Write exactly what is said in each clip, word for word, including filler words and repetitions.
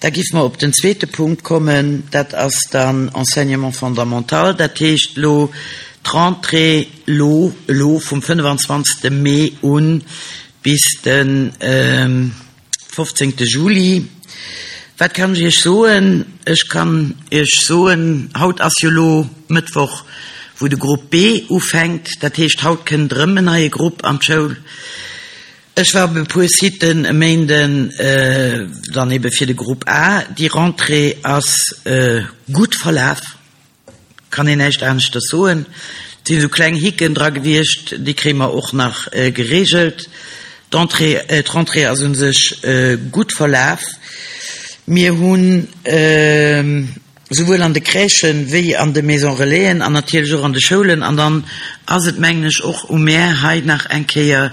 Da giff mer op den zweete Punkt kommen, dat ass dann Enseignement fondamental, dat heescht lo d'Rentrée lo elo vum fënnefenzwanzegste Mee un bis de fofzéngte Juli. Wat kann ech Iech soen? Ech kann Iech soen, haut ass jo lo Mëttwoch, wou de Grupp B ufänkt, dat heescht haut kënnt erëm en neie Grupp an d'Schoul. Ech war op e puer Siten e Méinden dann ebe fir de Grupp A. Déi Rentrée ass gutt verlaf, kann een näischt aneschters soen. Et sinn esou kleng Hicken dra gewiescht, déi kréie mer och nach geregelt. D'Entrée, d'Rentrée ass u sech gutt verlaf. Mir hunn souwuel an de Crèchen wéi an de Maisons Relaisen an natierlech och an de Schoulen, an dann ass et, mengen ech, och u mär hei nach eng Kéier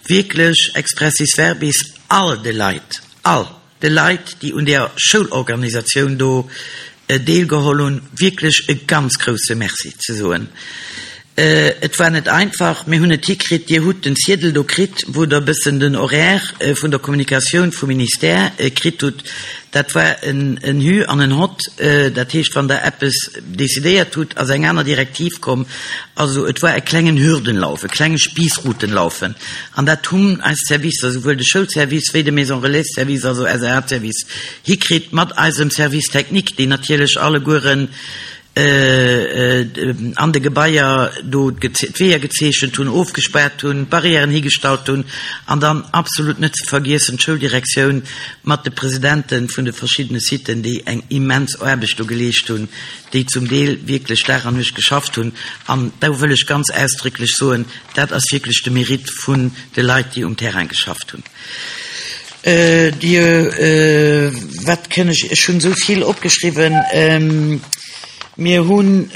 wierklech expressis verbis all de Leit, all de Leit, déi un där Schoulorganisatioun do deelgeholl hunn, wierklech e ganz grouse Merci ze soen. Et war net einfach, mir hunn et hikritt. Dir hutt den Ziedel do kritt, wou Der e bëssen den Horaire vun der Kommunikatioun vum Ministère kritt hutt. Dat war en Hü an en Hott. Dat heescht, wann Der eppes decidéiert hutt, ass eng aner Direktiv komm. Also et war e klengen Hürdenlauf, e klenge Spiessrutenlaufen. An dat hunn eis Servicer, souwuel de Schoulservice wéi de Maison Relais-Service, also S E A-Service, hikritt mat eisem Service technique, déi natierlech allegueren an de Gebaier do d'Weeër gezeechent hunn, ofgespaart hunn, Barrièren higestallt hunn, an dann absolut net ze vergiessen d'Schouldirektioun mat de Presidente vun de verschiddene Siten, déi eng immens Aarbecht do geleescht hunn, déi zum Deel wierklech Dag an Nuecht geschafft hunn. An do wëll ech ganz ausdrécklech soen, dat ass wierklech de Mérite vun de Leit, déi um Terrain geschafft hunn. Dir, wat kënn ech, ech hunn esou vill opgeschriwwen. Mir hunn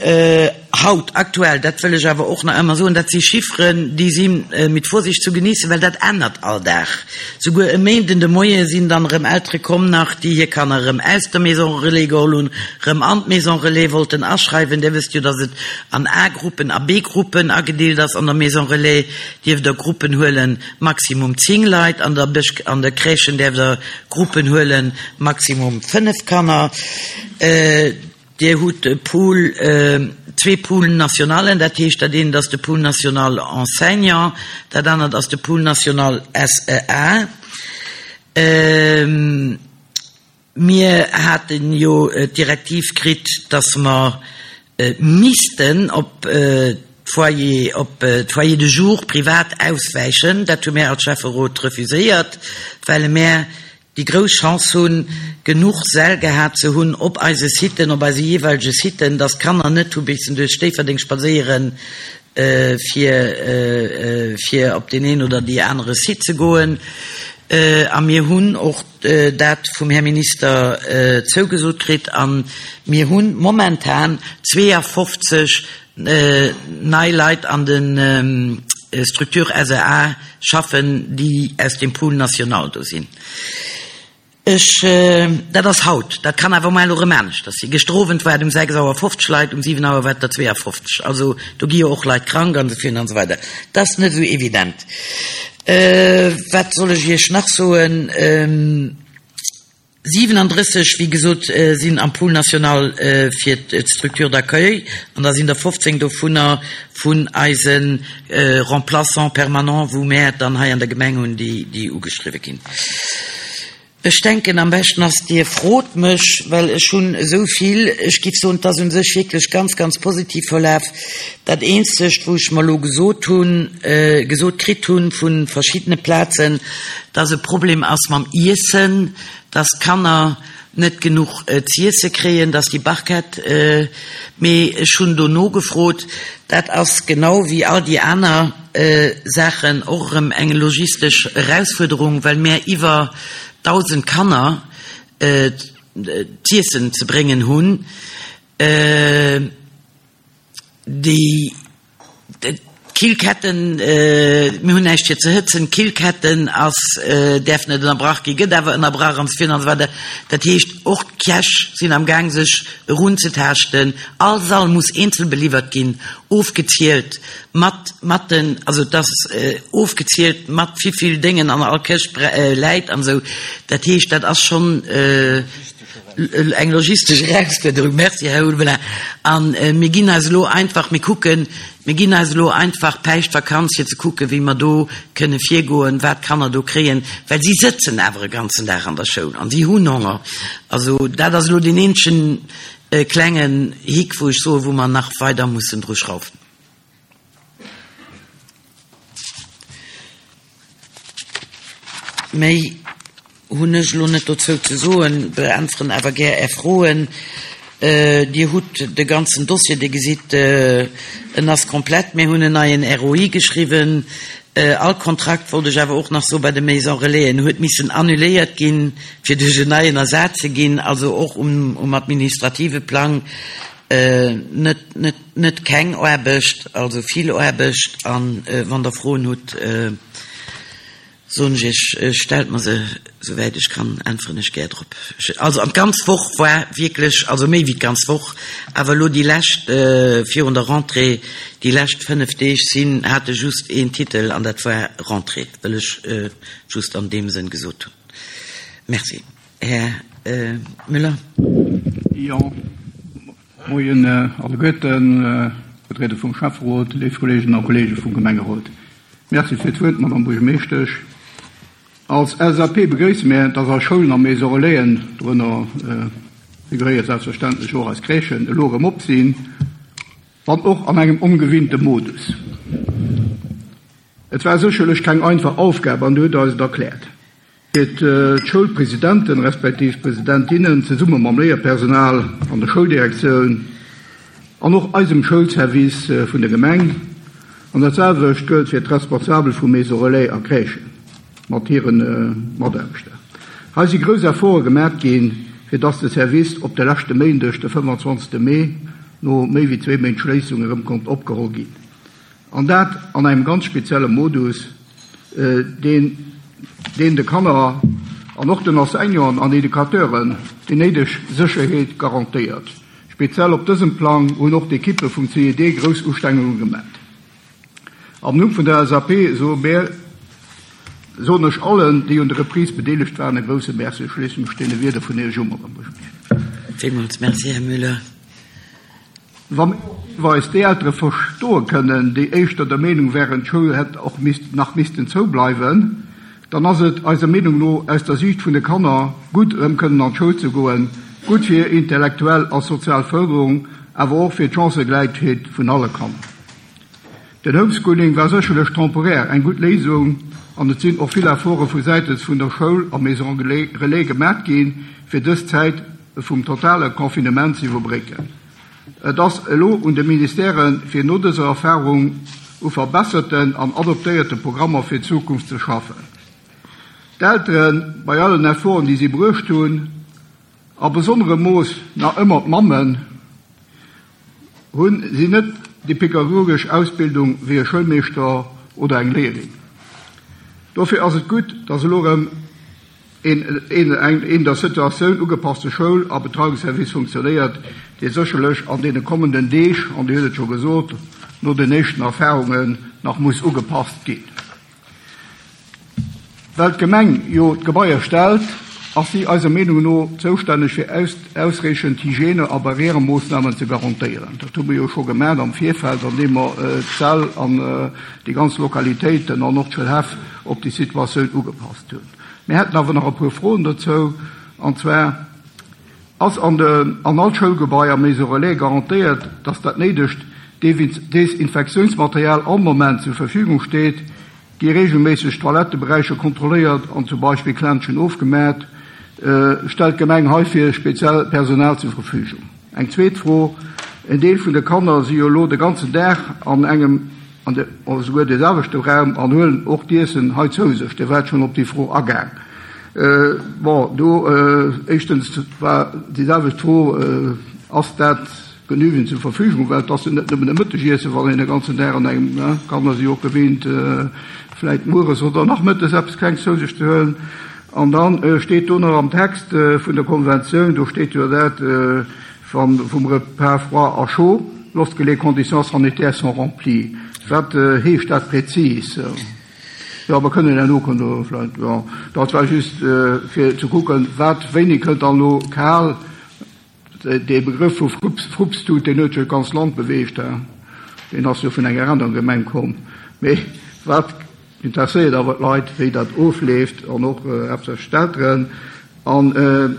haut aktuell, dat wëll ech awer och nach ëmmer soen, dat si Chifferen, déi si mit Vorsicht zu genießen, well dat ännert all Dag. Souguer e Méinden de Moie sinn dann erëm Eltere komm nach, déi hir Kanner erëm aus der Maison Relais geholl hunn, erëm an d'Maison Relais wollten aschreiwen. Dir wësst jo, datt et an A-Gruppen a B-Gruppen agedeelt ass an der Maison Relais. Dierft Der Gruppen huelen, maximum zéng Leit, an der Bësch, an der Crèchen däerft Der Gruppen huelen, maximum fënnef Kanner. Dir hutt e Pool, zwee Pool nationalen, dat heescht, dat eent ass de Pool national enseignant, dat anert ass de Pool national S E A. Mir haten jo d'Direktiv kritt, dass mer missten op d'Foyer, op d'Foyer de jour privat auswäichen. Dat hu mär als Schäfferot refuséiert, well mär déi grouss Chance hunn, genuch Säll gehat ze hunn op eise Siten, op eise jeeweilege Siten, dass d'Kanner net hu missen duerch Déifferdeng spadséieren, fir fir op deen een oder déi anere Site ze goen. A mir hunn och dat vum Här Minister zougesot kritt a mir hu momentan zweeafofzeg nei Leit an de Structure S E A schaffen, déi aus dem Pool national do sinn. Ech, dat ass haut, dat kann awer muer elo erëm aneschters sinn. Gëschter Owend war et um sechs Auer fofzeg Leit, um siwen Auer war et der zweeafofzeg. Also do gi jo och Leit krank an esou virun an esou weider. Dat ass net esou evident. Wat soll ech Iech nach soen? siwenandrësseg, wéi gesot, sinn am Pool national fir d'Structure d'accueil an da sinn der fofzéng dovunner vun eise Remplaçants permanents, wou mär dann hei an der Gemeng hunn, déi ugeschriwwe ginn. Ech denken, am beschten ass, Dir frot mech, well ech hunn esou vill. Ech giff soen, et ass u sech wierklech ganz, ganz positiv verlaf. Dat Eenzegt, wou ech mer elo gesot hunn, gesot kritt hunn vu verschiddene Plazen, dass e Problem ass mam Iessen, dass d'Kanner net genuch z'iesse kréien, dass déi Barquette, mee ech hunn do nogefrot, dat ass genau wéi all déi aner Saachen och erëm eng logistesch Erausfuerderung, well mär iwwer dausend Kanner z'iessen ze bréngen hunn. Déi Killketten, mir hunn näischt fir ze hëtzen, d'Killketten ass, däerf net ënnerbrach ginn, gëtt awer ënnerbrach an esou virun an esou weider. Dat heescht, och d'Käch sinn am Gaang sech erunzetaaschten. All Sall muss eenzel beliwwert ginn, ofgezielt mat mat den, also et ass ofgezielt mat wéivill Déngen an all Këscht läit an esou. Dat heescht, dat ass schonn Eng logistesch Erausfuerderung. Merci, Här Ulveling. An mir ginn eis elo einfach, mir kucken, mir ginn eis elo einfach Päischtvakanz, fir ze kucken, wéi mer do kënne virgoen, wat d'Kanner do kréien, well si sëtzen awer e ganzen Dag an der Schoul an si hunn Honger. Also dat ass elo deen eenzegen klengen Hick, wou ech soen, wou mer nach weider mussen dru schraufen. Méi hunn ech elo net dozou ze soen, beäntweren awer gär Är Froen. Dir hutt de ganzen Dossier, Dir gesitt, en ass komplett. Mir hunn en neien R O I geschriwwen. All Kontrakt, wollt ech awer och nach soen, bei de Maisons Relaisen huet missen annuléiert ginn, fir duerch en neien ersat ze ginn. Also och um, um administrative Plang net, net, net keng Aarbecht, also vill Aarbecht. An wann Der Froen hutt, soen ech Iech, stellt mer se, souwäit ech kann, äntweren ech gär drop. Also an d'ganz Woch war wierklech, also méi wéi d'ganz Woch, awer elo déi lescht, virun der Rentrée, déi lescht fënnef Deeg sinn, hate just een Titel an dat war Rentrée, wëll ech just an deem Sënn gesot hunn. Merci. Här Müller. Jo, moien alleguerten, Vertrieder vum Schäfferot, léif Kolleeginnen a Kollege vum Gemengerot. Merci fir d'Wuert, Madame Buergermeeschtesch. Als L S A P begréisse mir, dass eis Schoulen a Maisons Relaisen, dorënner figuréiert selbstverständlech och eis Crèchen, elo erëm op sinn, wann och an engem ongewinnte Modus. Et war sécherlech keng einfach Aufgabe an du huet eis et erkläert. Fir d'Schoulpresidenten respektiv Presidentinnen zesumme mam Léierpersonal an der Schouldirektioun an och eisem Schoulservice vun der Gemeng, an dat selwecht gëllt fir d'Responsabel vu Maisons Relais a Crèchen mat hiren Mataarbechter. Hei si grouss Efforte gemaach ginn, fir dass de Service op de leschte Méindeg, de fënnefanzwanzegste Mee, no méi wéi zwee Méint Schléissung erëm konnt opgeholl ginn. An dat an engem ganz spezielle Modus, deen, deen de Kanner an och den Enseignanten an Educateuren déi néideg Sécherheet garantéiert. Speziell op dësem Plang hunn och d'Ekippe vum C I D grouss Ustrengungen gemaach. Am Numm vun der L S A P soe mir, soen ech allen, déi un der Reprise bedeelegt waren, e grousse Merci. Ech schléisse mech deene Wierder vun Iech un, Madame Buergermeeschtesch. Villmools Merci, Här Müller. Wa mir deelweis déi Eltere verstoe kënnen, déi éischter der Meenung wären, d'Schoul hätt och misst, nach missten zoubleiwen, dann ass et eiser Meenung no aus der Sicht vun de Kanner gutt, erëm kënnen an d'Schoul ze goen, gutt fir intellektuell a sozial Förderung, awer och fir d'Chancëgläichheet vun alle Kanner. Den Homeschooling war sécherlech temporär eng gutt Léisung an et sinn och vill Efforte vu Säitens vun der Schoul a Maison Relais gemaach ginn, fir dës Zäit vum totale Confinement ze iwwerbrécken. Et ass elo un de Ministèren, fir no dëser Erfahrung u verbesserten an adoptéierte Programmer fir d'Zukunft ze schaffen. D'Elteren, bei allen Efforten, déi si bruecht hunn, a besonnerem Mooss nach ëmmer d'Mammen, hunn si net déi pädagogesch Ausbildung wéi e Schoulmeeschter oder eng Léierin. Dofir ass et gutt, dass elo erëm een, een, eng, een der Situatioun ugepasste Schoul- a Betreuungsservice funktionéiert, dee sécherlech an deene kommenden Deeg, an Dir hutt et scho gesot, no den éischten Erfahrungen nach muss ugepasst ginn. Well d'Gemeng jo d'Gebaier stellt, ass si eiser Meenung no zoustänneg fir aus-, ausreichend Hygiene- a Barrieremoossnamen ze garantéieren. Dat hu mir jo scho gemaach am Virfeld, an deem mer, äh, d'Säll an, äh, déi ganz Lokalitéiten an och d'Schoulhäff op déi Situatioun ugepasst hunn. Mir hätten awer nach e puer Froen dozou, an zwar ass an de, an all Schoulgebaier Maison Relais garantéiert, dass dat néidegt Desinfektionsmaterial all Moment zur Verfügung steet, gi regelméisseg Toiletteberäicher kontrolléiert an zum Beispill Klenschen ofgemäht, äh, stellt d'Gemeng heifir speziell Personal zur Verfügung. Eng zweet Fro: En Deel vun de Kanner si jo elo de ganzen Dag an engem, an de, oder souguer de selwechte Raum an huelen och d'Iessen hei zou sech. Dir waart schon op déi Fro agaang. Äh, bon, do, äh, éischtens war déi selwecht Fro, äh, ass dat genügend zur Verfügung, well das net nëmmen e Mëttegiessen, wann een den ganzen Dag an engem, ne, Kanner si och gewinnt, äh, vläicht mueres oder nachmëttes eppes Klenges zou sech ze huelen. An dann, äh, steet do nach am Text, äh, vun der Konventioun, do steet jo dat, äh, van, vum Repas froid à chaud, lorsque les conditions sanitaires sont remplies. Wat, äh, heescht dat präzis? Jo, mer kënnen herno kënnt Der vläicht, jo. Dat war just fir ze kucken, wat, wéini kënnt dann elo kal. Dee Begrëff vu Frupstut, deen huet jo d'ganz Land beweegt, deen ass jo vun enger anerer Gemeng komm. Mee wat interesséiert awer d'Leit, wéi dat ofleeft an och haaptsächlech d'Elteren. An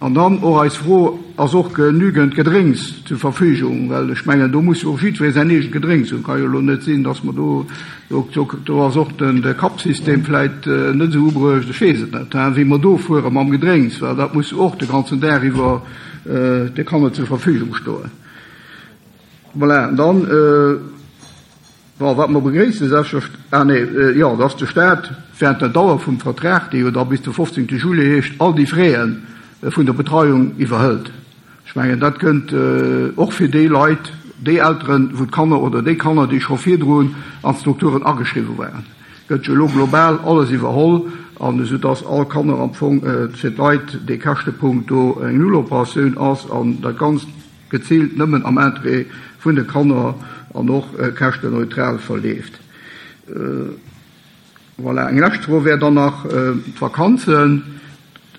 An dann och eis Fro, Ass och genügend Gedrénks zur Verfügung? Well ech mengen, do muss jo och jiddweree säin eegent Gedrénks hunn. Ka jo elo net sinn, dass mer do, do ass och den, de Cup-System vläicht net esou ubruecht, ech weess et net, hein, wéi mer do fuere mam Gedrénks, well dat muss jo och de ganzen Dag iwwer de Kanner zur Verfügung stoen. Voilà, an dann, Bon, wat mer begréissen, selbstverst-, ah nee, jo, dass de Stat während der Dauer vum Vertrag, dee jo da bis de fofzéngte Juillet heescht, all déi Fräe vun der Betreiung iwwerhëlt. Ech mengen, dat kënnt och fir déi Leit, déi Elteren, wou d'Kanner oder déi Kanner, déi scho virdrun an d'Strukturen ageschriwwen waren, gëtt jo elo global alles iwwerholl, an esou dass all Kanner am Fong fir d'Leit dee Käschtepunkt do eng Nulloperatioun ass an dat Ganzt geziilt nëmmen am Interêt vun de Kanner an och käschtenneutral verleeft. Voilà, eng lescht Fro wär dann nach d'Vakanzen.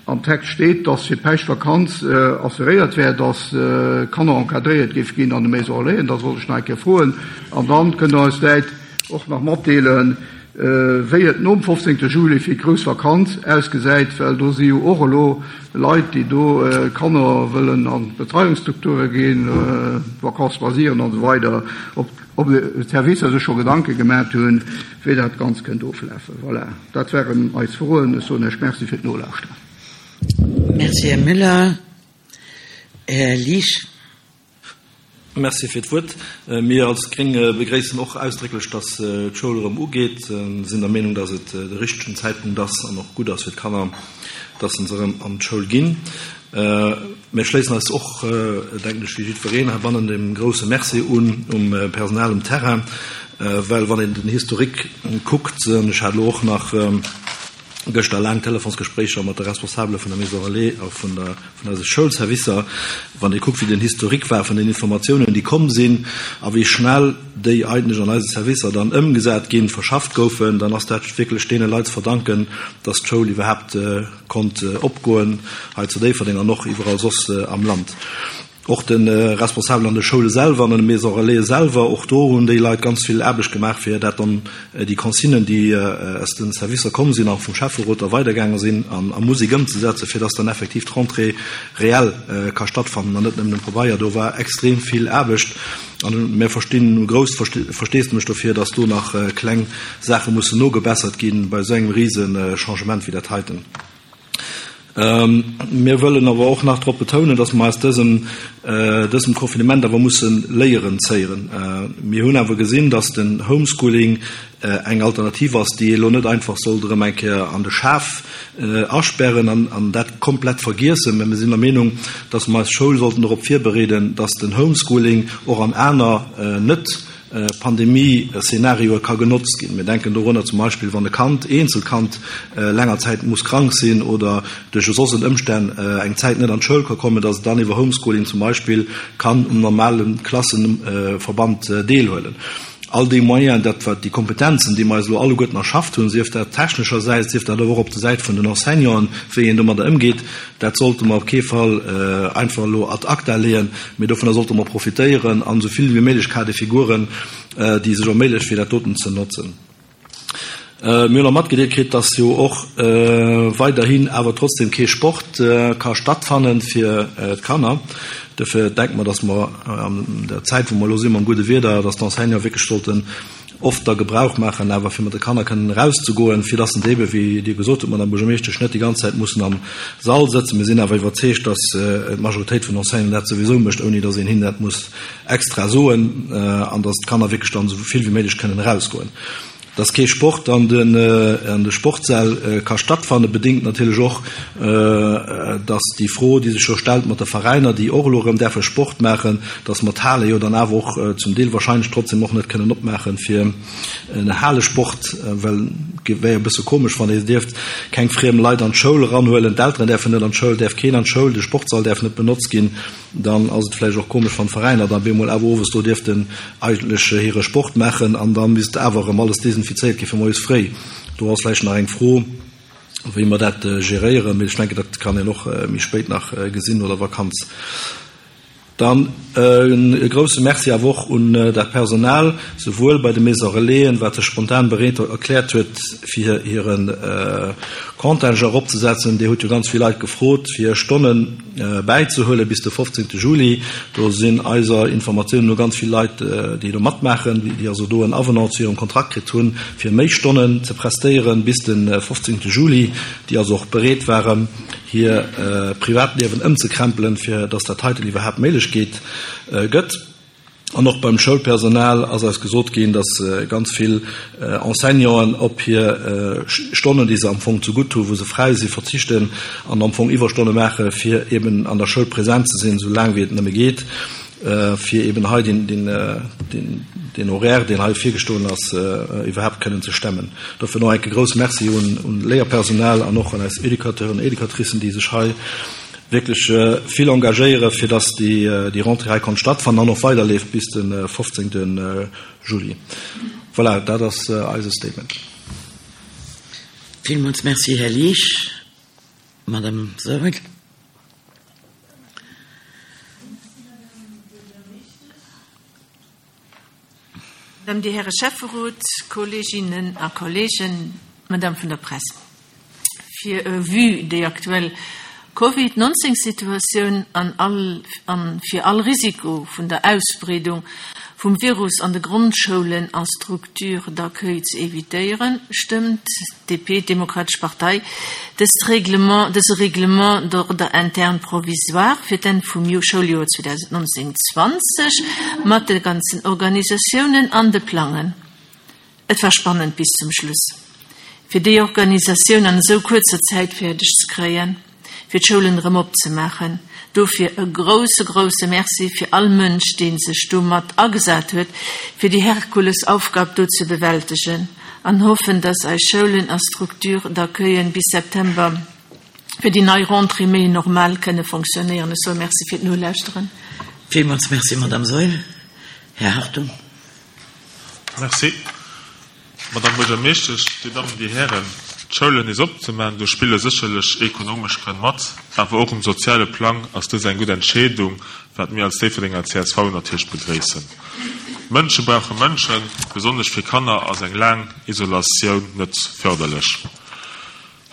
Am Text steet, dass fir d'Päischtvakanz assuréiert wär, dass d'Kanner encadréiert géife ginn an de Maisons Relaisen. Dat wollt ech nach eng Kéier froen. An dann kënnt Der eis vläicht och nach matdeelen, wéi et nom fofzéngte Juli fir d'grouss Vakanz ausgesäit, well do si jo och elo Leit, déi do Kanner wëllen an d'Betreiungsstrukture ginn, Vacances loisirs an esou weider, ob d'Servicer sech scho Gedanke gemat hunn, wéi dat Ganzt kënnt oflafen. Voilà, dat waren eis Froen. Ech soen Iech Merci fir d'Nolauschteren. Merci, Här Müller. Här Liesch. Merci fir d'Wuert. Mir als Gréng begréissen och ausdrécklech, dass d'Schoul erëm ugeet. Mir sinn der Meenung, dass et de richtegen Zäitpunkt ass an och gutt ass fir d'Kanner, dass se erëm an d'Schoul ginn. Mir schléissen eis och, denken ech, wéi jiddwereen heibannen dem grouse Merci un um Personal um Terrain, well wann een den Historique kuckt, an ech hat elo och nach gëschter laang Telefonsgespréicher mat de Responsabele vun der Maison Relais a vun der, vun eise Schoulservicer, wann ee kuckt, wéi den Historique war vun den Informatiounen, déi komm sinn a wéi schnell déi eigentlech an eise Servicer dann ëmgesat ginn, verschafft goufen, dann ass dat wierklech deene Leit ze verdanken, dass d'Schoul iwwerhaapt konnt opgoen hei zu Déifferdeng an och iwwerall soss am Land. Och de Responsabelen an de Schoule selwer an an de Maisons Relaisen selwer, och do hunn déi Leit ganz vill Aarbecht gemaach, fir dat dann, déi Consignen, déi aus de Servicer komm sinn a vum Schäfferot da weidergaange sinn, an a Musek ëmzesetzen, fir dass dann effektiv d'Rentrée reell ka stattfannen an net nëmmen um Pabeier. Do war extrem vill Aarbecht an mir verstinn grousst Versteesdemech dofir, dass do nach kleng Saache mussen nogebessert ginn bei esou engem rise Changement wéi dat heiten. Mir wëllen awer och nach drop betounen, dass mer aus dësem, dësem Confinement awer musse Léieren zéieren. Mir hunn awer gesinn, dass den Homeschooling eng Alternativ ass, déi ee elo net einfach sollt erëm eng Kéier an de Schaf asperren an, an dat komplett vergiessen. Mä mir sinn der Meenung, dass mer eis Schoul sollten dorop virbereeden, dass den Homeschooling och an aner net Pandemie-Szenarioe ka genotzt ginn. Mir denken dorunner zum Beispill, wann e Kand, eenzelt Kand, länger Zäit muss krank sinn oder duerch soss en Ëmstänn eng Zäit net an d'Schoul ka kommen, dass et dann iwwer Homeschooling zum Beispill kann um normale Klasseverband deelhuelen. All déi Moyenen, dat wat déi Kompetenzen, déi mer eis elo alleguerten erschafft hunn, sief dat techneschersäits, sief dat awer och op der Säit vun den Enseignanten, wéi een domadder ëmgeet, dat sollte mer op kee Fall einfach elo ad acta leeën, mee dovunner sollte mer profitéieren an esou vill wéi méiglech Cas de figuren, déi sech erméiglecht, fir dat doten ze notzen. Mir hunn och matgedeelt kritt, dass jo och weiderhin awer trotzdem kee Sport ka stattfanne fir d'Kanner. Dofir denke mer, dass mer an der Zäit, wou mer elo si mam gudde Wieder, dass d'Enseignanten wierklech sollten oft da Gebrauch maachen, awer fir mat de Kanner kënnen erauszegoen, fir dass se ebe, wéi Dir gesot hutt, Madame Buergermeeschtesch, net déi ganz Zäit mussen am Sall sëtzen. Mir sinn awer iwwerzeegt, dass d'Majoritéit vun Enseignanten dat souwisou mécht, ouni dass een hinnen dat muss extra soen, an dass d'Kanner wierklech dann esou vill wéi méiglech kënnen erausgoen. Dass kee Sport an de Sportsäll ka stattfannen, bedéngt natierlech och, dass déi Fro, déi sech jo stellt mat de Veräiner, déi och elo erëm däerfe Sport maachen, dass mer d'Hale jo dann awer och zum Deel wahrscheinlech trotzdem och net kënnen opmaache fir en Halesport, well et wär jo e bësse komesch, wann ee dierft keng friem Leit an d'Schoul eranhuelen, d'Elteren däerfen net an d'Schoul, däerf keen an d'Schoul, de Sportsall däerf net benotzt ginn. Dann ass et vläicht och komesch, wann d'Veräiner dann bemol awer owes do dierften eigentlech hire Sport maachen an da misst awer erëm alles desinfizéiert gi fir moies fréi Do ass vläicht nach eng Fro, wéi mer dat geréieren, mee ech denken, dat kann een och méi spéit nach gesinn no der Vakanz. Dann e grouse Merci awer och un dat Personal, souwuel bei de Maisons Relaisen, wat sech spontan bereet erkläert huet, fir hire Contingent eropzesetzen. Dir hutt jo ganz vill Leit gefrot, fir Stonne bäizehuele bis de fofzéngte Juli. Do sinn eiser Informatiounen no ganz vill Leit, déi do matmaachen, déi also do en Avenant zu hirem Kontrakt kritt hunn, fir méi Stonnen ze prestéieren bis de fofzéngte Juli, déi also och bereet waren, hir Privatliewen ëmzekrempelen, fir dass dat heiten iwwerhaapt méiglech geet, gëtt. An och beim Schoulpersonal ass eis gesot ginn, dass ganz vill Enseignanten op hir Stonnen, déi se am Fong zegutt hunn, wou se fräi sinn, verzichten an am Fong Iwwerstonne maache fir eben an der Schoul present ze sinn, esou laang wéi et nëmme geet, fir eben hei deen Horaire, deen hei virgestoen ass, iwwerhaapt kënnen ze stemmen. Dofir nach eng Kéier grousse Merci un d'Léierpersonal an och un eis Educateuren an Educatricen, déi sech hei wierklech vill engagéieren, fir dass déi Rentrée hei konnt stattfannen an och weiderleeft bis de fofzéngte Juli. Voilà, dat ass eise Statement. Villmools Merci, Här Liesch. Madame Saurel. Madame, Dir Häre Schäfferot, Kolleeginnen a Kolleegen, Madame vun der Press. Fir vue déi aktuell Covid nonzéng Situatioun an all an fir all Risiko vun der Ausbreedung vum Virus an de Grondschoulen a Structures d'accueil ze evitéieren, stëmmt d'D P, d'Demokratesch Partei, dëst Règlement, dëse Règlement d'ordre interne provisoire fir d'Enn vum Schouljoer zweedausendnonzéng zwanzeg mat de ganzen Organisatiounen an de Plangen. Et war spannend bis zum Schluss, fir déi Organisatioun an esou kuerzer Zäit fäerdeg ze kréien, fir d'Schoulen erëm opzemaachen. Dofir e grousse, grousse Merci fir all Mënsch, dee sech domat agesat huet, fir déi Herkulesaufgab do ze bewältegen, an hoffen, dass eis Schoulen a Structures d'accueillen bis September fir déi nei Rentrée méi normal kënne fonctionnéieren. Ech soe Merci fir d'Nolauschteren. Villmools Merci, Madame Saeul. Här Hartung. Merci, Madame Buergermeeschtesch, Dir Dammen, Dir Hären. D'Schoulen nees opzemaachen, do spille sécherlech ekonomesch Grënn mat, awer och um soziale Plang ass dës eng gutt Entscheedung, wat mir als Déifferdenger C S V natierlech begréissen. Mënsche brauche Mënschen, besonnesch fir Kanner ass eng laang Isolatioun net fërderlech.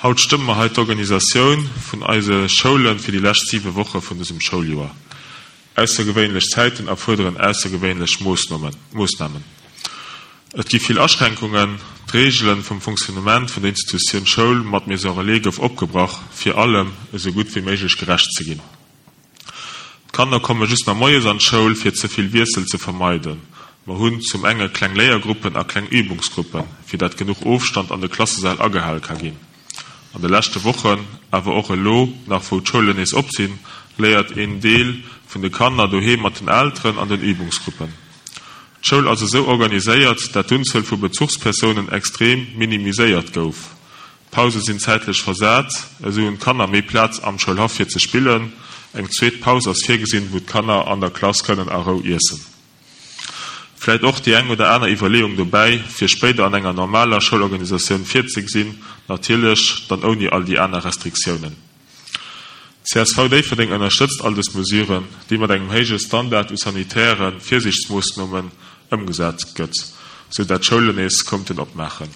Haut stëmme mer hei d'Organisatioun vun eise Schoule fir déi lescht siwe Woche vun dësem Schouljoer. Aussergewéinlech Zäiten erfuerderen aussergewéinlech Moossnamen. Et gi vill Aschränkungen, d'Reegele vum Fonctionnement vun der Institutioun Schoul mat Maison Relais gouf opgebrach, fir allem esou gutt wéi méiglech gerecht ze ginn. D'Kanner komme just nach moies an d'Schoul, fir ze vill Wiessel ze vermeiden. Mer hunn zum enge kleng Léiergruppen a kleng Übungsgruppen, fir dat genuch Ofstand an de Klassesäll agehale ka ginn. An de leschte Wochen, awer och elo nach wou d'Schoulen nees op sinn, léiert een Deel vun de Kanner doheem mat den Elteren an den Übungsgruppen. D'Schoul ass esou organiséiert, dat d'Unzuel vu Bezuchspersounen extrem minimiséiert gouf. D'Pause sinn zäitlech versat, esou hunn d'Kanner méi Plaz am Schoulhaff fir ze spillen. Eng zweet Paus ass virgesinn, wou d'Kanner an der Klass kënnen a Rou iessen. Vläit och déi eng oder aner Iwwerleeung dobäi, fir spéider an enger normaler Schoulorganisatioun virzegesinn, natierlech dann ouni all déi aner Restriktiounen. C S V Déifferdeng ënnerstëtzt all dës Mesuren, déi mat engem héije Standard u sanitäre Virsiichtsmoossnamen ëmgesat gëtt, sou dat d'Schoulen nees konnten opmaachen.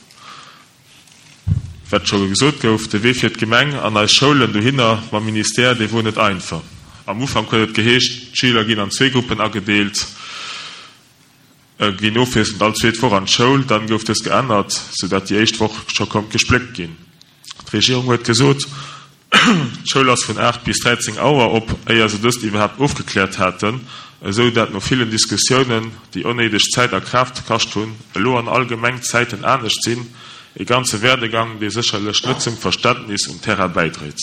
Wat scho gesot gouf, de Wee fir d'Gemeng an eis Schoulen dohinner mam Ministère, dee wor net einfach. Am Ufank huet et geheescht, d'Schüler ginn an zwee Gruppen agedeelt, ginn ofwiesselnd all zweet Woch an d'Schoul. Dann gouf dës geännert, sou dat déi éischt Woch scho konnt gespléckt ginn. D'Regierung huet gesot, d'Schoul ass vun aacht bis dräizéng Auer op, éier se dëst iwwerhaapt ofgekläert haten, esou dat no villen Diskussiounen, déi onnéideg Zäit a Kraaft kascht hunn, elo an all Gemeng d'Zäiten anescht sinn, e ganze Werdegang, dee sécherlech net zum Verständnis um Terrain bäidréit.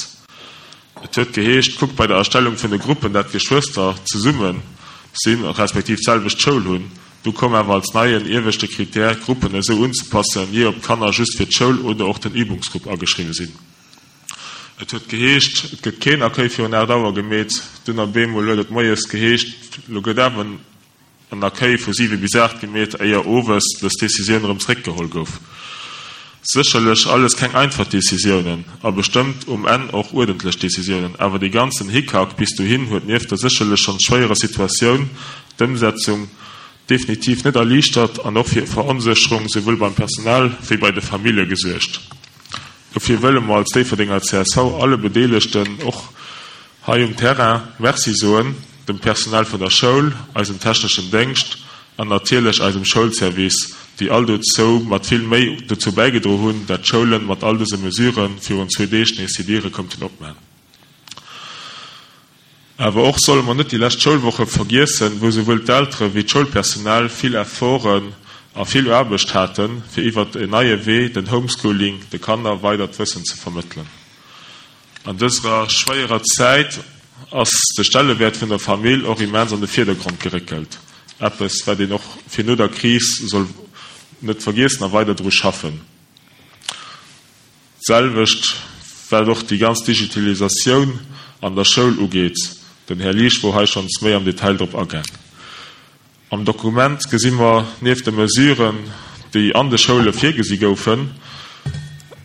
Et huet geheescht, kuckt bei der Erstellung vun de Gruppen, dat d'Geschwëster zesumme sinn, respektiv d'selwecht Schoul hunn. Du koum awer als neien ieweschte Critère, d'Gruppen esou unzepassen, jee ob d'Kanner just fir d'Schoul oder och den Übungsgrupp ageschriwwe sinn. Et huet geheescht, et gëtt keen Accueil virun aacht Auer gemeet. Dunn op eemol huet et moies geheescht, lo gëtt awer en Accueil vu siwe bis aacht gemeet, éier owes dës Decisioun erëm zeréckgeholl gouf. Sécherlech alles keng einfach Decisiounen a bestëmmt um Enn och uerdentlech Decisiounen, awer dee ganzen Hickhack bis dohin huet nieft der sécherlech schonns schwéierer Situatioun d'Ëmsetzung definitiv net erliichtert an och fir Veronsécherung souwuel beim Personal wéi bei de Famillje gesuergt. Dofir wëlle mer als Déifferdenger C S V alle Bedeelegten och hei um Terrain Merci soen, dem Personal vun der Schoul, eisem techneschen Déngscht an natierlech eisem Schoulservice, déi all dozou mat vill Méi dozou bäigedroen hunn, dat d'Schoule mat all dëse Mesurë virun zwee Deeg nees hir Diere konnten opmaachen. Awer och solle mer net déi lescht Schoulwoche vergiessen, wou souwuel d'Eltere wéi d'Schoulpersonal vill Efforten a vill Aarbecht haten, fir iwwer en neie Wee, den Homeschooling, de Kanner weider d'Wëssen ze vermëttelen. An dëser schwéierer Zäit ass de Stellewäert vun der Famill och immens an de Virdergrond geréckelt. Eppes, wat een och fir no der Kris soll net vergiessen a weider dru schaffen. D'selwecht wat och déi ganz Digitalisatioun an der Schoul ugeet, den Här Liesch wor hei schonns méi am Detail drop agaang. Am Dokument gesi mer nieft de Mesuren, déi an de Schoule virgesi goufen,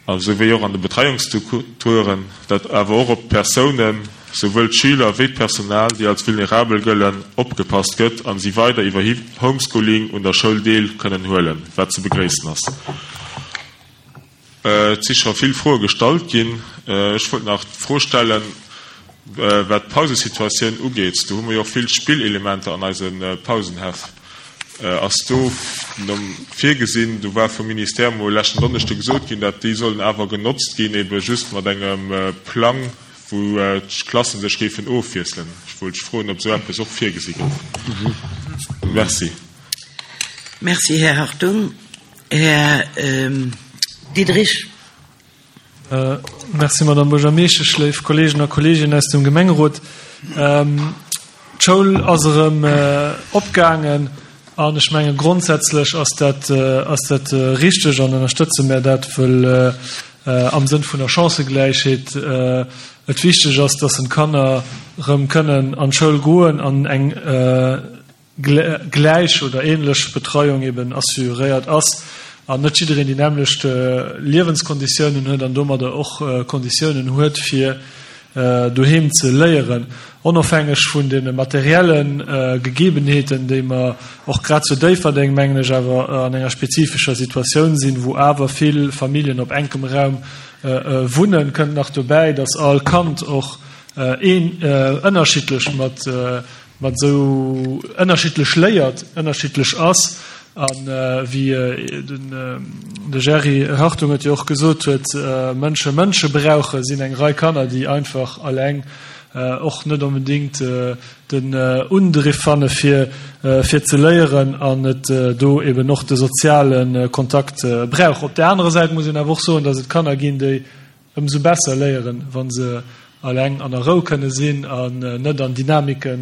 esou wéi och an de Betreiungsstrukturen, dat awer och op d'Persounen, souwuel d'Schüler wéi d'Personal, déi als vulnerabel gëllen, opgepasst gëtt an si weider iwwer Homeschooling un der Schoul deel kënnen huelen, wat ze begréissen ass. Et si scho vill Froe gestallt ginn. Ech wollt nach d'Fro stellen, wat d'Pausesituatioun ugeet. Do hu mer jo och vill Spillelementer an eise Pausenhäff. Ass do virgesinn, do war vum Ministère mol leschten Donneschde gesot ginn, dat déi sollen awer genotzt ginn, ebe just mat engem Plang, wou d'Klasse sech géifen ofwiesselen. Ech wollt froen, ob esou eppes och virgesi gouf. Merci. Merci, Här Hartung. Här Diderich. Merci, Madame Buergermeeschtesch, léif Kolleegen a Kolleeginnen aus dem Gemengerot. D'Schoul ass erëm opgaangen an ech menge grondsätzlech ass dat ass dat richteg an ënnerstëtze mir dat, wëll am Sënn vun der Chancëgläichheet et wichteg ass, dass den Kanner erëm kënnen an d'Schoul goen an eng gläich oder ähnlech Betreiung eben assuréiert ass an net jiddereen déi nämmlecht Liewenskonditiounen huet an domadder och Konditiounen huet fir doheem ze léieren. Onofhängeg vun de materielle Gegebenheeten, déi mer och grad zu Déifferdeng, mengen ech, awer an enger spezifescher Situatioun sinn, wou awer vill Familljen op enkem Raum wunnen, kënnt nach dobäi, dass all Kand och een ënnerschiddlech mat mat esou ënnerschiddlech léiert, ënnerschiddlech ass a wéi den de Jerry Hartung et jo och gesot huet, Mënsche Mënsche brauchen, sinn eng Rei Kanner, déi einfach alleng och net onbedéngt den Undriff fanne fir fir ze léieren an et do eben och de soziale Kontakt brauch. Op där anerer Säit muss een awer och soen, datt et Kanner ginn, déi ëmsou besser léieren, wa se alleng an der Rou kënne sinn an net an Dynamike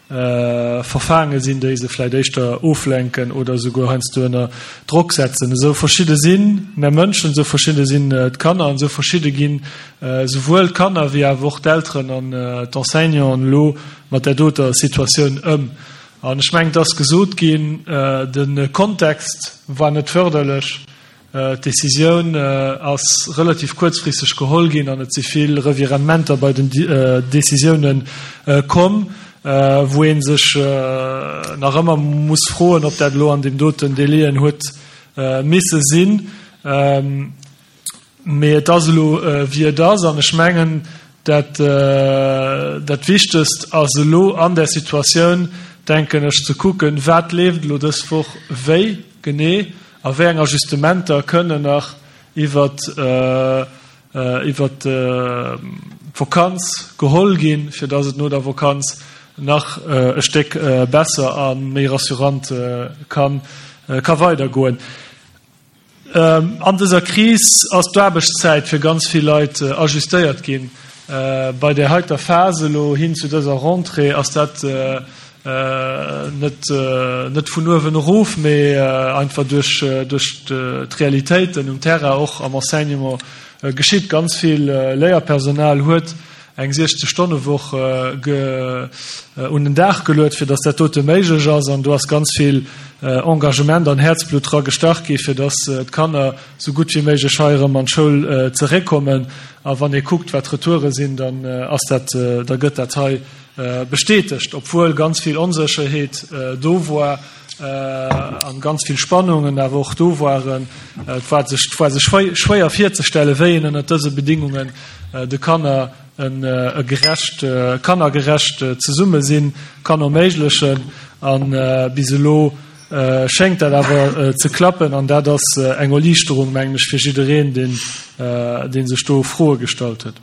verfaange sinn, déi se vläicht éischter oflenken oder esouguer heiansdo ënner Drock setzen. Esou verschidde si mär Mënschen, esou verschidde sinn d'Kanner an esou verschidde ginn esouwuel d'Kanner wéi awer och d'Elteren an d'Enseignanten elo mat där doter Situatioun ëm. An ech mengen, et ass gesot ginn, de Kontext war net fërderlech. D'Decisioun ass relativ kuerzfristeg geholl ginn an et si vill Revirementer bei den Decisioune komm, wou ee sech nach ëmmer muss froen, ob dat elo an deem doten Délien huet misse sinn. Mee et ass elo wéi et ass an ech mengen, dat dat Wichtegst ass elo an där Situatioun, denken ech, ze kucken, wat leeft elo dës Woch wéi genee a wéi eng Ajustementer kënnen nach iwwert iwwert d'Vakanz geholl ginn, fir dass et no der Vakanz nach e Stéck besser a méi rassurant ka ka weidergoen. An dëser Kris ass d'Aarbechtszäit fir ganz vill Leit ajustéiert ginn. Bei där heiter Phas elo hin zu dëser Rentrée ass dat net net vun uewen erof, mee einfach duerch duerch d'Realitéiten um Terrain, och am Enseignement geschitt. Ganz vill Léierpersonal huet eng siechzeg-Stonne-Woch un den Dag geluet, fir dass dat dote méiglech ass. An do ass ganz vill Engagement an Häerzblutt dra gestach gi fir dass d'Kanner sou gutt wéi méiglech hei erëm an d'Schoul zeréckkommen. A wann ee kuckt, wat d'Retoure sinn, dann ass dat, da gëtt dat hei bestätegt, obwuel ganz vill Onsécherheet do war an ganz vill Spannungen awer och do waren. Et war sech, et war sech schwéier virzestellen, wéi een ënnert dëse Bedingungen de Kanner e gerecht, kannergerecht Zesummesinn kann erméiglechen. A bis elo schéngt dat awer ze klappen an dat ass eng Erliichterung, mengen ech, fir jiddereen, deen, dee sech do Froe gestallt huet.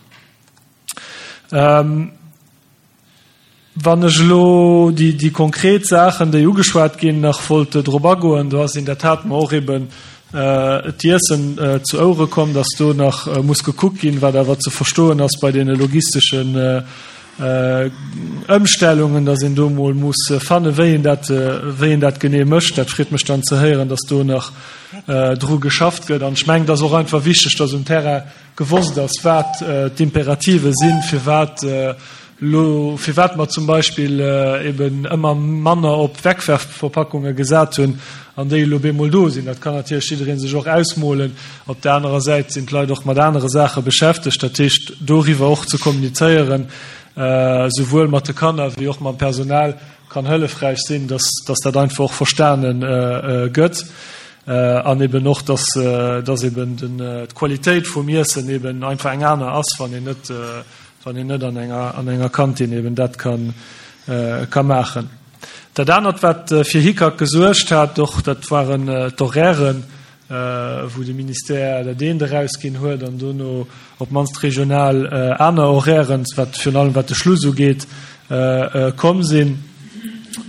Wann ech elo déi, déi konkret Saachen, déi ugeschwat ginn, nach wollt drop agoen, do ass in der Tat mer och eben d'Iessen zu Ouere komm, dass do nach muss gekuckt ginn, wat awer ze verstoen ass bei deene logisteschen Ëmstellungen, dass een do emol muss fannen, wéi een dat, wéi een dat genee mécht. Dat freet mech dann ze héieren, dass do nach dru geschafft gëtt. An ech mengen, et ass och einfach wichteg, dass um Terrain gewosst ass, wat d'Imperative sinn, firwat Elo, firwat mer zum Beispill eben ëmmer manner op Wegwerfverpackunge gesat hunn an déi elo bemol do sinn, dat kann natierlech jidderee sech och ausmolen. Op där anerer Säit sinn d'Leit och mat anere Saache beschäftegt. Dat heescht, doriwwer och ze kommunizéieren, souwuel mat de Kanner wéi och mam Personal, kann hëllefräich sinn, dass, dass dat einfach och verstane gëtt an eben och, dass, dass eben d'Qualitéit vum Iessen eben einfach eng aner ass, wann een net wann een net an enger, an enger Kantin eben dat kann, ka maachen. Dat anert, wat fir Hickhack gesuergt hat och, dat waren d'Horairen, wou de Ministère dat eent erausginn huet an dono op d'mannst regional aner Horairen, wat virun allem wat de Schluss ugeet, komm sinn.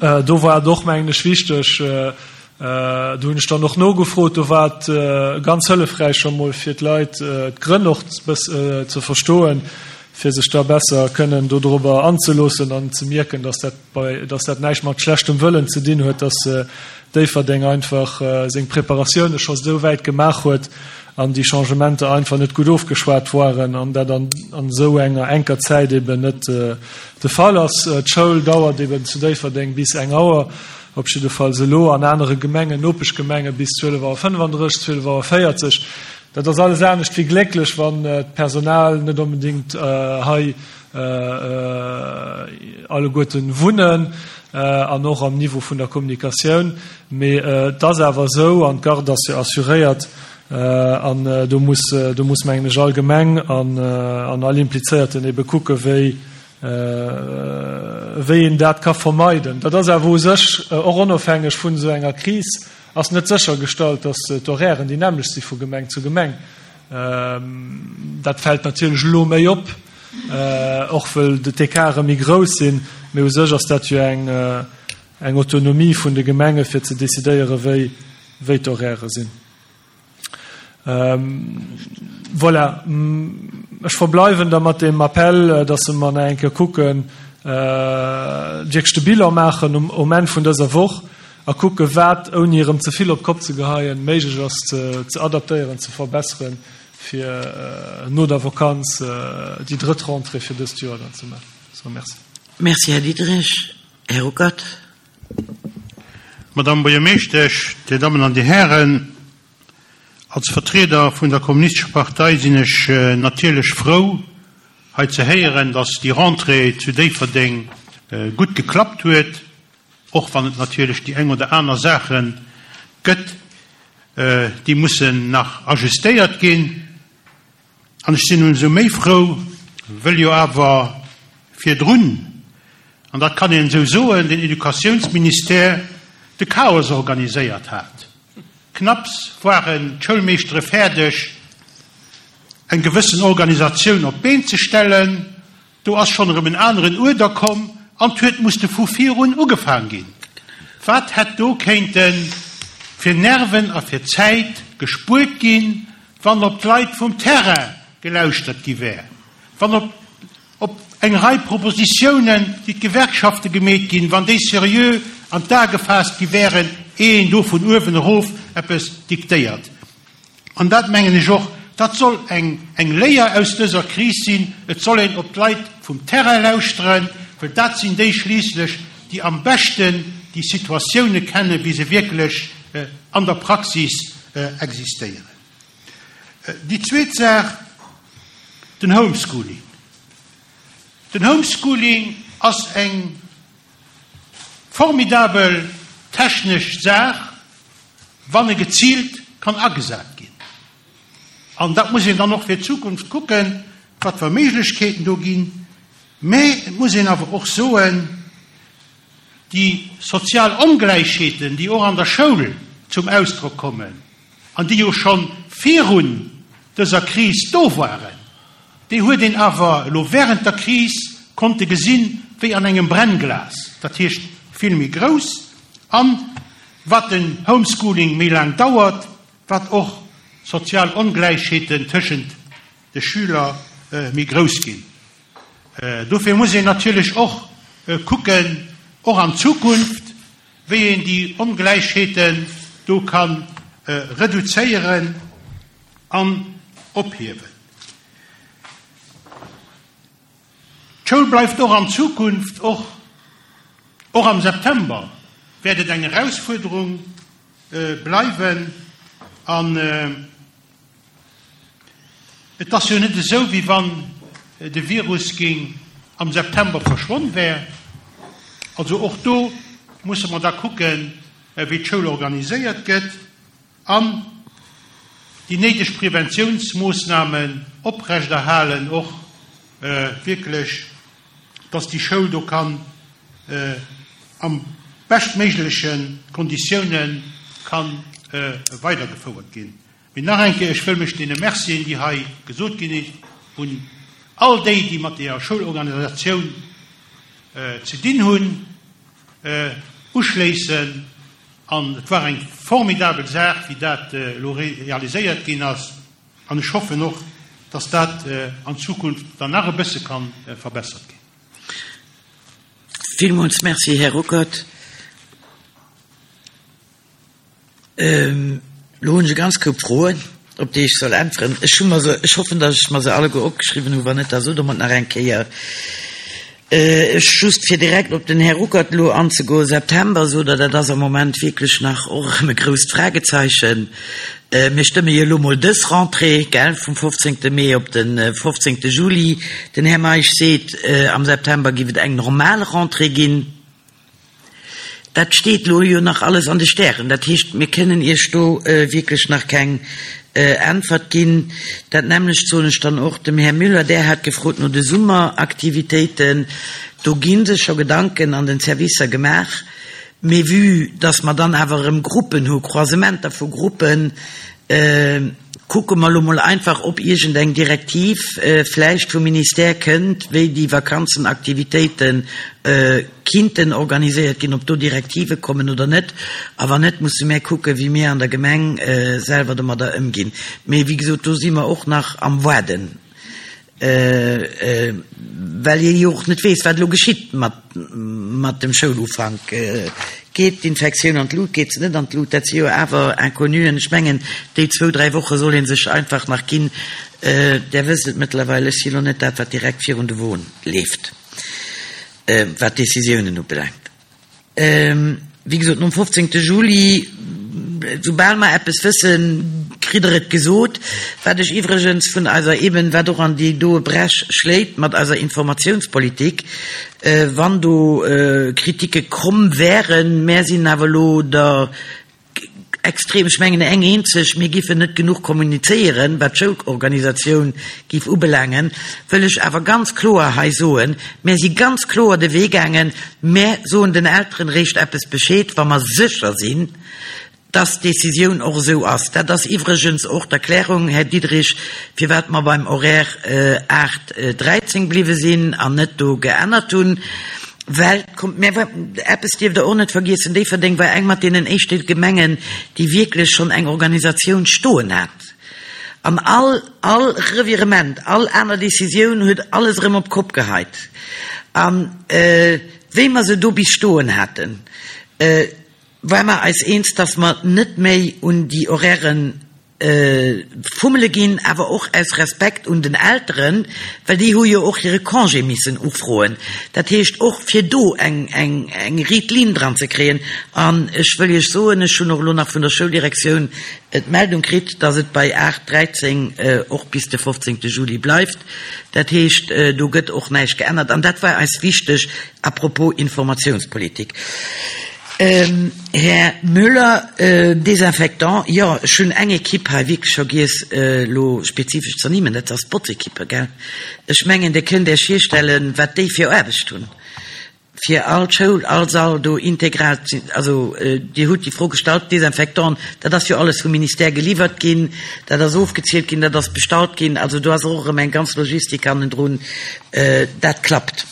Do war et och, mengen ech, wichteg, do hunn ech dann och nogefrot, do war et ganz hëllefräich scho mol fir d'Leit d'Grënn och ze verstoen, fir sech da besser kënnen dodrobber anzeloossen an ze mierken, dass dat bei, dass dat näischt mat schlechtem Wëllen ze dinn huet, dass Déifferdeng einfach seng Preparatioune scho sou wäit gemaach huet an déi Changementer einfach net gutt ofgeschwat waren an dat an esou enger enker Zäit eben net de Fall ass. D'Schoul dauert eben zu Déifferdeng bis eng Auer, op jiddefalls elo, an anere Gemengen, Nopeschgemenge bis zwielef Auer fënnefandrësseg, zwielef Auer véierzeg. Dat ass alles anescht wéi glécklech, wann d'Personal net onbedéngt hei alleguerten wunnen an och am Niveau vun der Kommunikatioun. Mee et ass awer esou, an d'Garde ass jo assuréiert, an do muss, do muss mengen ech all Gemeng an all Implizéierten ebe kucke wéi, wéi een dat ka vermeiden. Dat ass awer u sech och onofhängeg vun esou enger Kris ass net séchergestallt, datt d'Horairen déi nämmlecht si vu Gemeng zu Gemeng. Dat fält natierlech elo méi op, och wëll d'Ecarte méi grouss sinn, mee u sech ass dat jo eng eng Autonomie vun de Gemenge fir ze decidéieren, wéi wéi d'Horairë sinn. Voilà, ech verbleiwen da mat deem Appell, datt mer nach eng Kéier kucken, wierklech de Bilan maachen um um Enn vun dëser Woch a kucke wat, ouni erëm ze vill op d'Kopp ze geheien, méiglech ass ze adaptéieren, ze verbesseren, fir no der Vakanz déi drëtt Rentrée fir dëst Joer dann ze maachen. Sou, merci. Merci, Här Diderich. Här Ruckert. Madame Buergermeeschtesch, Dir Dammen an Dir Hären, als Vertrieder vun der Kommunistescher Partei sinn ech natierlech frou, hei ze héieren, dass déi Rentrée zu Déifferdeng gutt geklappt huet, och wann et natierlech déi eng oder aner Saache gëtt, déi mussen nach ajustéiert ginn. An ech sinn ëmsou méi frou, wëll jo awer virdrun, an dat kann een esou soen, den Educatiounsministère de Chaos organiséiert hat. Knapps waren d'Schoulmeeschtere fäerdeg, eng gewëssen Organisatioun op d'Been ze stellen, do ass schonn erëm en aneren Uerder komm an 't huet musste vu virun ugefaang ginn. Wat hätt do kéinte fir Nerven a fir Zäit gespuert ginn, wann op d'Leit vum Terrain gelauschtert gi wär, wann op op eng Rei Propositiounen, déi d'Gewerkschafte gemeet ginn, wann déi seriö an d'A gefaasst gi wären, eh een do vun uewen erof eppes diktéiert. An dat mengen ech och, dat soll eng eng Léier aus dëser Kris sinn, et soll een op d'Leit vum Terrain lauschteren, well dat sinn déi schliisslech, déi am beschten déi Situatioune kennen, wéi se wierklech an der Praxis existéieren. Déi zweet Saach, den Homeschooling. Den Homeschooling ass eng formidabel technesch Saach, wann e geziilt kann agesat ginn. An dat muss een dann och fir d'Zukunft kucken, wat fir Méiglechkeeten do ginn. Mä et muss een awer och soen, déi sozial Ongläichheeten, déi och an der Schoul zum Ausdrock kommen an déi jo scho virun dëser Kris do waren, déi huet een awer elo während der Kris konnte gesinn, wéi an engem Brennglas, dat heescht vill méi grouss. An wat den Homeschooling méi laang dauert, wat och d'sozial Ongläichheeten tëschent de Schüler méi grouss ginn. Dofir muss een natierlech och kucken, och an Zukunft, wéi een déi Ongläichheeten do ka reduzéieren an ophiewen. D'Schoul bleift och an Zukunft, och och am September wäert et eng Erausfuerderung bleiwen. An et ass jo net esou, wéi wann de Virus géing am September verschwonn wär. Also och do musse mer da kucken, wéi d'Schoul organiséiert gëtt an déi néideg Preventiounsmoossnamen oprechterhalen, och wierklech, dass déi Schoul do kann am beschtméigleche Konditioune ka weidergefouert ginn. Mee nach eng Kéier, ech wëll mech deene Mercien, déi hei gesot ginn, un all déi, déi mat deeër Schoulorganisatioun ze dinn hunn, uschléissen. An et war eng formidabel Saach, wéi dat elo realiséiert ginn ass. An ech hoffen och, dass dat an Zukunft dann nach e bësse ka verbessert ginn. Villmools Merci, Här Ruckert. Elo hunn ech e ganz Koup Froen, op déi ech soll äntweren. Ech hu mer se, ech hoffen, datt ech mer se alleguer opgeschriwwen hunn, wann net, da sot Der mer et nach eng Kéier. Ech, just fir direkt op den Här Ruckert elo anzegoen, September, sot Der, dat ass am Moment wierklech nach och erëm e grousst Fragezeichen. Mir stëmme jo elo mol dës Rentrée, gell, vum fofzéngte Mee op de fofzéngte Juli. Den Här Meisch seet, am September géif et eng normal Rentrée ginn. Dat steet elo jo nach alles an de Stären. Dat heescht, mir kënnen Iech do wierklech nach keng Äntwert ginn. Dat nämmlecht soen ech dann och dem Här Müller. Där hat gefrot no de Summeraktivitéiten. Do gi sech scho Gedanken an den Servicer gemaach. Mee vue dass mer dann awer erëm Gruppen hu, Croisementer vu Gruppen, kucke mer elo mol einfach, ob iergendeng Direktiv vläicht vum Ministère kënnt, wéi déi Vakanzenaktivitéite kinnten organiséiert ginn, ob do Direktive kommen oder net. A wann net, musse mär kucken, wéi mir an der Gemeng selwer domadder ëmginn. Mee wéi gesot, do si mer och nach am Waarden. Well ee jo och net weess, wat elo geschitt mat dem Schoulufank. Geet d'Infektioun an d'Lut, geet se net an d'Lut? Dat si jo awer Inconnuen. Ech mengen, déi zwou, dräi Woche soll ee sech einfach nach ginn. Där wësst et mëttlerweil, ech si elo net dat, wat direkt virun de Won leeft, wat d'Décisiounen ubelaangt. Wéi gesot, nom fofzéngte Juli, soubal mer eppes wëssen, kritt Der et gesot. Wat ech iwwregens vun eiser, eben wat och an déi doe Bräch schléit mat eiser Informatiounspolitik, wann do Kritike komm wären, mär sinn awer elo der extrem, ech mengen eng eenzeg, mir giffen net genuch kommunizéieren, wat d'Schoulorganisatioun giff ubelaangen, wëll ech awer ganz kloer hei soen, mär si ganz kloer de Wee gaangen, mär soen den Elteren réischt eppes Bescheed, wa mer sécher sinn, dass d'Décisioun och esou ass. Dat ass iwwregens och d'Erklärung, Här Diderich, firwat mer beim Horaire aacht, dräizéng bliwwe sinn an net do geännert hunn. Well, kommt, mä eppes dierft Der och net vergiessen, Déifferdeng war eng mat deenen éischte Gemengen, déi wierklech schonn eng Organisatioun stoen hat. An all, all Revirement, all aner Décisioun huet alles erëm op d'Kopp geheit. A wéi mer se do bis stoen haten, ware mer eis eens, dass mer net méi un déi Horairen Fummele ginn, awer och aus Respekt un den Elteren, well déi hu jo och hire Congé missen ufroen. Dat heescht och fir do eng, eng, eng riit Linn dran ze kréien. An ech wëll Iech soen, ech hunn och elo nach vun der Schouldirektioun d'Meldung kritt, dass et bei aacht dräizéng och bis de fofzéngte Juli bleift. Dat heescht, do gëtt och näischt geännert. An dat war eis wichteg à propos Informatiounspolitik. Här Müller, Désinfectant, jo, ech hunn eng Equipe hei wierklech vergiess elo spezifesch ze ernimmen, dat ass d'Botzequipe, gell. Ech mengen, Dir kënnt Iech virstellen, wat déi fir Aarbecht hunn, fir all Schoul, all Sall do integral ze, also Dir hutt déi Fro gestallt, Désinfectant, dat ass jo alles vum Ministère geliwwert ginn, dat ass ofgezielt ginn, dat ass bestallt ginn, also do ass och erëm eng ganz Logistik hannendrun, dat klappt.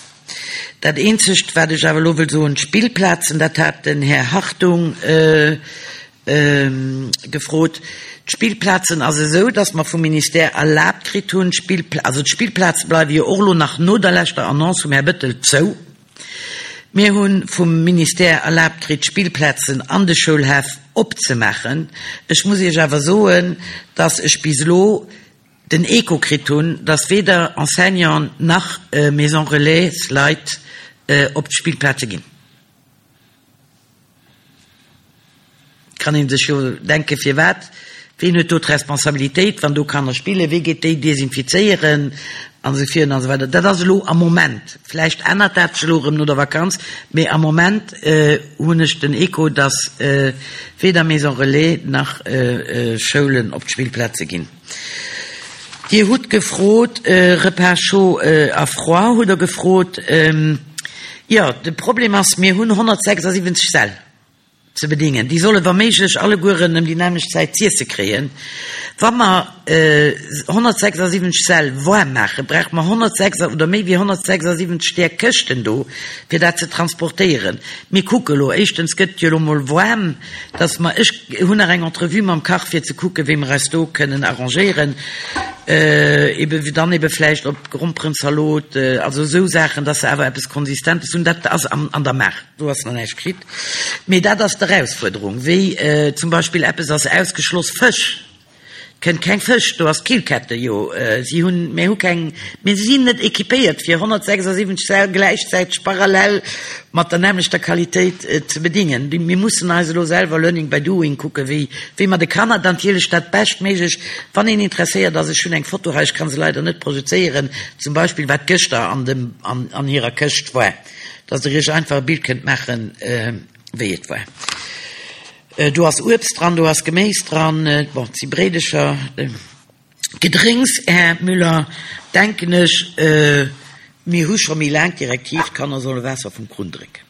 Dat Eenzegt, wat ech awer elo wëll soen, d'Spillplazen, dat hat den Här Hartung gefrot, d'Spillplazen ass esou, dass mer vum Ministère erlaabt kritt hunn, also d'Spillplaze bleiwe jo och elo nach no der leschter Annonce vum Här Bettel zou. Mir hu vum Ministère erlaabt kritt, d'Spillplazen an de Schoulhäff opzemaachen. Ech muss Iech awer soen, dass ech bis elo den Echo kritt hunn, dass weder Enseignanten nach Maison Relais Leit op d'Spillplaze ginn. Kann ee sech jo denke firwat. Ween huet do d'Responsabilitéit, wann do Kanner spillen? Wee geet déi desinfizéieren? An esou virun an esou weider. Dat ass elo am Moment. Vläicht ännert dat sech elo erëm no der Vakanz, mee am Moment hunn ech den Echo, dass weder Maison Relais nach Schoulen op d'Spillplaze ginn. Dir hutt gefrot, Repas chaud a froid hutt Der gefrot. Jo, de Problem ass, mir hunn honnertsechsasiwwenzeg Säll ze bedingen. Déi solle wa méiglech allegueren ëm déi nämmlecht Zäit z'iesse kréien. Wa mer honnertsechsasiwwenzeg Säll waarm maachen, brauche mer honnertsechs oder méi wéi honnertsechsasiwwenzeg där Këschten do, fir dat ze transportéieren. Mir kucke elo, éischtens gëtt et jo elo mol waarm, dass mer, ech hunn nach eng Entrevue mam Kach, fir ze kucken, wéi mer eis do kënnen arrangéieren, ebe dann ebe vläicht op Gromperenzalot, also esou Saachen, dass se awer eppes Konsistentes hunn. Dat ass an der Maach, do ass nach näischt geschitt. Mee dat ass d'Erausfuerderung, wéi zum Beispill eppes ass ausgeschloss, Fësch. Kënnt keng Fësch, do ass d'Killkette jo, si hunn, mir hu keng, mir sinn net équipéiert fir honnertsechsasiwwenzeg Säll gläichzäiteg parallel mat der nämmlechter Qualitéit ze bedingen. Mir mussen eis elo selwer learning by doing kucken, wéi, wéi mer de Kanner dann natierlech dat Beschtméiglecht, wann een interesséiert ass, ech hunn eng Foto hei, ech ka se leider net projezéieren, zum Beispill wat gëschter an dem, an, an hirer Këscht war, dass Der Iech einfach e Bild kënnt maachen, wéi et war. Do ass Uebst dran, do ass Geméis dran, bon, et si Bréidecher, Gedrénks. Här Müller, denken ech, mir hu scho méi laang d'Direktiv, d'Kanner solle Waasser vum Krunn drénken.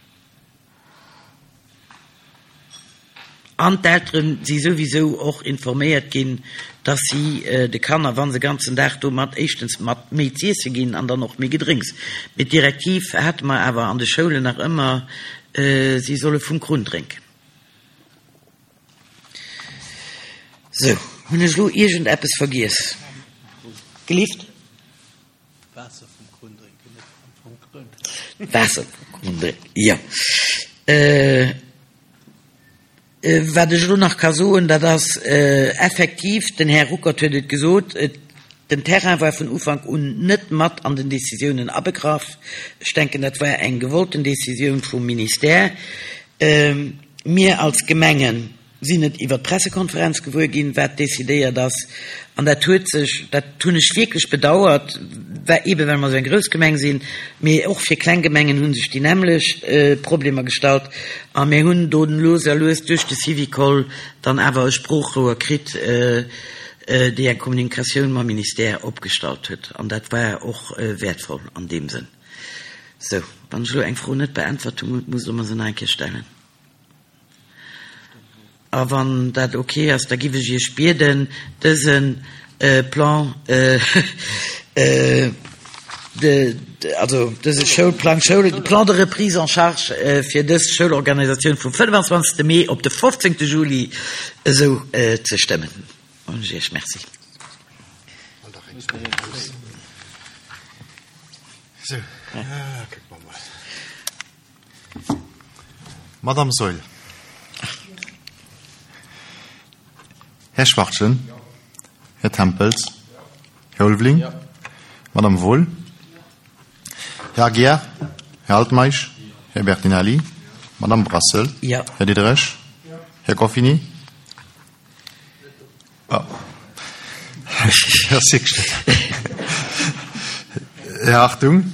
An d'Eltere si souwisou och informéiert ginn, dass si de Kanner, wa se ganzen Dag do mat, éischtens mat méi z'iesse ginn an dann och méi Gedrénks. Mee d'Direktiv hate mer awer an de Schoulen nach ëmmer, si solle vum Krunn drénken. Sou, hunn ech elo iergendeppes vergiess? Gelift? Waasser vum Krunn drénken, net vum Krunn. Waasser vum Krunn drénken, jo. Wat ech elo nach ka soen, dat ass effektiv, den Här Ruckert huet et gesot, den Terrain war vun Ufank un net mat an den Décisiounen abegraff. Ech denken, dat war eng gewollten Décisioun vum Ministère. Mir als Gemengen sinn et iwwer d'Pressekonferenz gewuer ginn, wat decidéiert ass. An dat huet sech, dat hunn ech wierklech bedauert, eebe well mer esou eng grouss Gemeng sinn, mee och fir kleng Gemengen hu sech déi nämmlecht Problemer gestallt. A mir hunn do lues a lues duerch de Syvicol dann awer e Sproochrouer kritt, déi eng Kommunikatioun mam Ministère opgestallt huet. An dat war och wäertvoll an deem Sënn. Sou, wann ech elo eng Fro net beäntwert hunn, musst Der mer se nach eng Kéier stellen. A wann dat ok ass, da giff ech Iech bieden, dëse Plan de, also dëse Schoulplang, Schoul, Plan de reprise en charge fir dës Schoulorganisatioun vum fënnwanzwanzegste Mee op de fofzéngte Juli esou ze stëmmen. Soen ech Iech Merci. Madame Saeul. Här Schwachtgen. Här Tempels? Här Ulveling? Madame Wohl? Här Aguiar? Här Altmeisch? Här Bertinelli? Madame Brassel? Ja. Här Diderich? Här Goffini? Oh. Här Sixten? Här Hartung?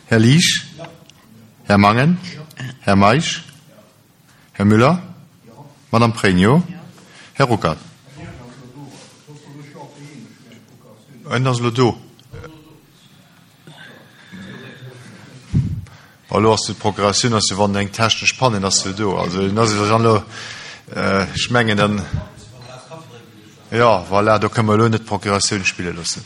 Här Liesch? Här Mangen? Här Meisch? Här Müller? Madame Pregno? Här Ruckert? En ass elo do. Bon, elo ass d'Procuratioun ass jo, wann eng technesch Panne ass jo do. Also en ass jo dann elo, ech mengen dann, jo, voilà, do kënne mer elo net d'Procuratioun spille loossen.